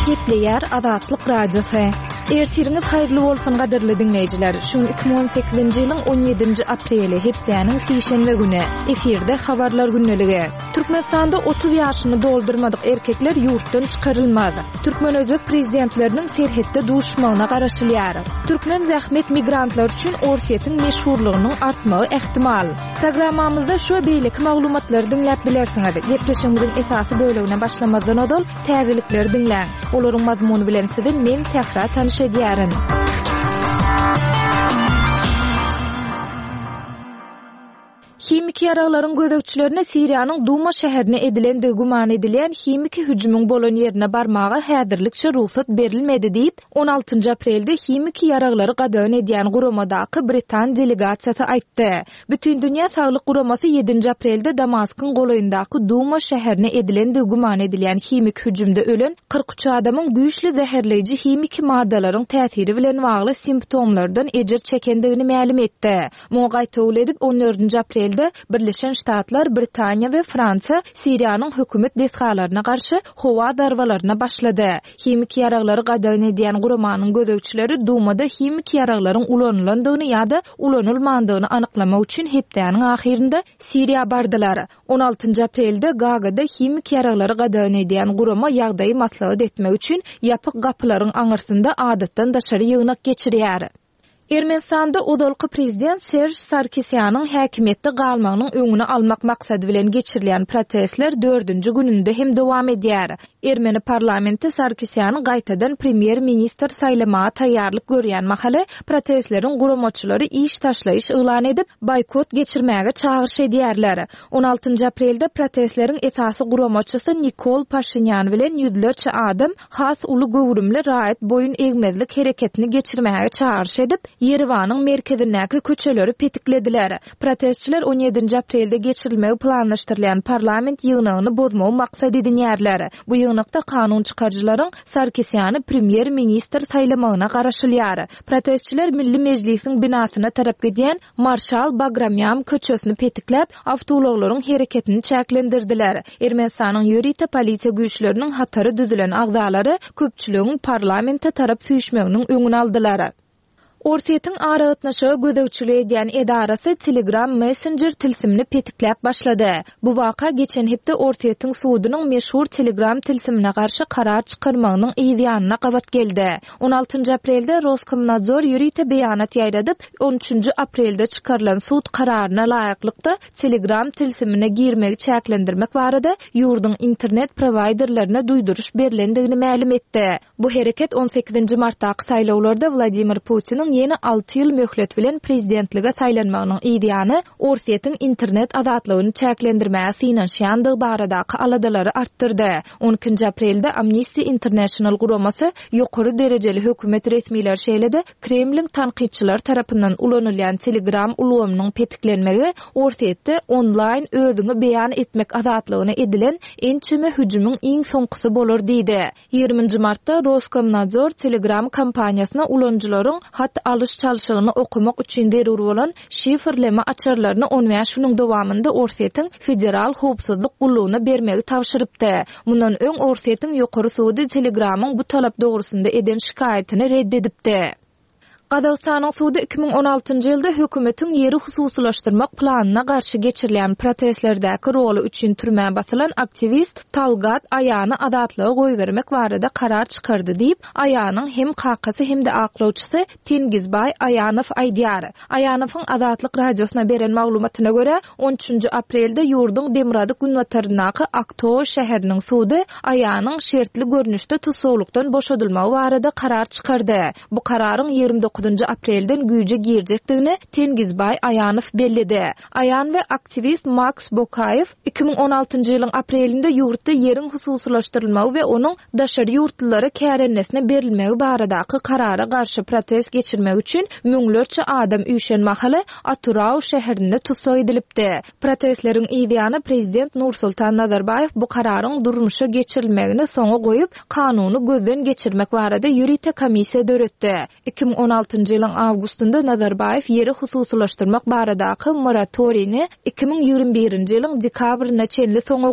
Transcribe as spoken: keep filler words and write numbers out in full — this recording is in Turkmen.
Gepleýär Azatlyk Radiosy. Ertiriňiz haýyrly bolsun gadyrly diňleýjiler. Şu iki müň on sekizinji ýylyň on ýedinji apreli, hepdäniň sişenbe güni. Efirde habarlar gündeligi. Türkmenistanda otuz ýaşyny doldurmadyk erkekler ýurtdan çykarylmaz. Türkmen-özbek prezidentleriniň serhetde duşmagyna garaşylýar. Türkmen zähmet migrantlary üçin Orsýetiň meşhurlygynyň artmagy ähtimal. Programmamyzda şu we beýleki maglumatlary diňläp bilersiňiz. Gepleşigimiziň esasy bölegine başlamazdan ozal täzelikleri diňläň. Olaryň mazmuny bilen sizi men Sähra tanyş edýärin. Himiki ýaraglaryň gözegçilerine Siriýanyň Duma şäherine edilendigi güman edilýän himiki hüjümiň bolan ýerine barmaga häzirlikçe rugsat berilmedi diýip, on altynjy aprelde himiki ýaraglary gadagan edýän guramadaky britan delegasiýasy aýtdy. Bütindünýä saglyk guramasy ýedinji aprelde Damaskyň golaýyndaky Duma şäherine edilendigi güman edilýän himiki hüjümde ölen kyrk üç adamyň güýçli zäherleýji himiki maddalaryň täsiri bilen bagly simptomlardan ejir çekendigini mälim etdi. Muňa gaýtawul edip, on dördünji aprelde Birleşen Ştatlar, Britaniýa we Fransiýa Siriýanyň hökümet desgalaryna garşy howa zarbalaryna başlady. Himiki ýaraglary gadagan edýän guramanyň gözegçileri Dumada himiki ýaraglaryň ulanylandygyny ýa-da ulanylmandygyny anyklamak üçin hepdäniň ahyrynda Siriýa bardylar. On altynjy aprelde Gagada himiki ýaraglary gadagan edýän gurama ýagdaýy maslahat etmek üçin ýapyk gapylaryň aňyrsynda adatdan daşary ýygnak geçirýär. Ermenistanda ozalky prezident Serj Sarkisýanyň häkimiýetde galmagynyň öňüni almak maksady bilen geçirilýän protestler dördünji gününde hem dowam edýär. Ermeni parlamenti Sarkisýany gaýtadan premýer-ministr saýlamaga taýýarlyk görýän mahaly protestleriň guramaçylary iş taşlaýyş yglan edip, boýkot geçirmäge çagyryş edýärler. On altynjy aprelde protestleriň esasy guramaçysy Nikol Paşinýan bilen ýüzlerçe adam has uly göwrümli raýat boýun egmezlik hereketini geçirmäge çagyryş edip, Ýerewanyň merkezindäki köçeleri petiklediler. Protestçiler on ýedinji aprelde geçirilmegi planlaşdyrylýan parlament ýygnagyny bozmagy maksat edinýärler. Bu ýygnakda kanun çykaryjylaryň Sarkisýany premýer-ministr saýlamagyna garaşylýar. Protestçiler Milli Mejlisiň binasyna tarap gidýän Marşal Bagramýan köçesini petikläp, awtoulaglaryň hereketini çäklendirdiler. Ermenistanyň ýörite polisiýa güýçleriniň hatary düzülen agzalary köpçüligiň parlamente tarap süýşmeginiň öňüni aldylar. Orsýetiň aragatnaşyga gözegçilik edýän edarasy Telegram Messenger tilsimini petikläp başlady. Bu waka geçen hepde Orsýetiň sudunyň meşhur Telegram tilsimine garşy karar çykarmagynyň yz ýanyna gabat geldi. On altynjy aprelde Roskomnadzor ýörite beýanat ýaýradyp, on üçünji aprelde çykarylan sud kararyna laýyklykda Telegram tilsimine girmegi çäklendirmek barada ýurduň internet prowaýderlerine duýduryş berlendigini mälim etdi. Bu hereket on sekizinji martdaky saýlawlarda Wladimir Putiniň ýene alty ýyl möhlet bilen prezidentlige saýlanmagynyň yz ýany Orsýetiň internet azatlygyny çäklendirmäge synanyşýandygy baradaky aladalary artdyrdy. On ikinji aprelde Amnesty International guramasy ýokary derejeli hökümet resmileri şeýle-de Kremliň tankytçylary tarapyndan ulanylýan Telegram ulgamynyň petiklenmegi Orsýetde onlaýn özüňi beýan etmek azatlygyna edilen ençeme hüjümiň iň soňkusy bolar diýdi. Ýigriminji martda Roskomnadzor Telegram kompaniýasyna ulanyjylaryň hat alyş-çalşygyny okamak üçin zerur bolan şifrleme açarlaryny on bäş günüň dowamynda Orsýetiň Federal howpsuzlyk gullugyna bermegi tabşyrypdy. Mundan öň Orsýetiň ýokary sudy Telegramyň bu talap dogrusynda eden şikaýatyny red edipdi. Gazagystanyň sudy iki müň on altynjy ýylda hökümetiň ýeri hususylaşdyrmak planyna garşy geçirilýän protestlerdäki roly üçin türmä basylan aktiwist Talgat Aýany azatlyga goýbermek barada karar çykardy diýip, Aýanyň hem kakasy hem-de aklawçysy Tengizbaý Aýanow aýdýar. Aýanowyň Azatlyk Radiosyna beren maglumatyna görä, on üçünji aprelde ýurduň demirgazyk günbataryndaky Aktow şäheriniň sudy Aýanyň şertli görnüşde tussaglykdan boşadylmagy barada karar çykardy. Bu kararyň ýigrimi dokuzynjy aprelden güýje girjekdigini Tengizbaý Aýanow belledi. Aýan we aktiwist Maks Bokaýew iki müň on altynjy ýylyň aprelinde ýurtda ýeriň hususylaşdyrylmagy we onuň daşary ýurtlulara kärennesine berilmegi baradaky karara garşy protest geçirmek üçin müňlerçe adam üýşen mahaly Atyrau şäherinde tussag edilipdi. Protestleriň yz ýany prezident Nursultan Nazarbaýew bu kararyň durmuşa geçirilmegini soňa goýup, kanuny gözden geçirmek barada ýörite komissiýa döretdi. Iki müň on altynjy ýylyň awgustynda Nazarbaýew ýeri hususylaşdyrmak baradaky moratoriýni iki müň ýigrimi birinji ýylyň dekabrynda çenli soňa